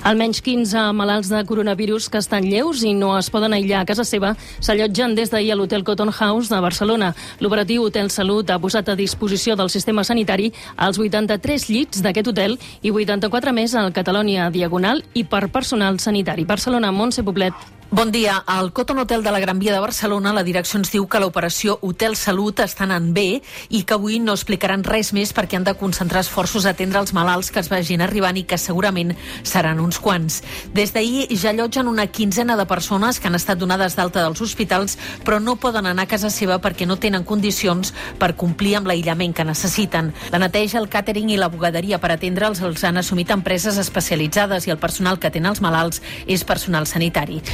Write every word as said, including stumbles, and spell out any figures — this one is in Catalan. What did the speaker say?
Almenys quinze malalts de coronavirus que estan lleus i no es poden aïllar a casa seva s'allotgen des d'ahir a l'Hotel Cotton House de Barcelona. L'operatiu Hotel Salut ha posat a disposició del sistema sanitari els vuitanta-tres llits d'aquest hotel i vuitanta-quatre més al Catalonia Diagonal i per personal sanitari. Barcelona, Montse Poblet. Bon dia. Al Cotton Hotel de la Gran Via de Barcelona la direcció ens diu que l'operació Hotel Salut està anant bé i que avui no explicaran res més perquè han de concentrar esforços a atendre els malalts que es vagin arribant i que segurament seran uns quants. Des d'ahir ja allotgen una quinzena de persones que han estat donades d'alta dels hospitals però no poden anar a casa seva perquè no tenen condicions per complir amb l'aïllament que necessiten. La neteja, el càtering i la bugaderia per atendre'ls els han assumit empreses especialitzades i el personal que atén els malalts és personal sanitari.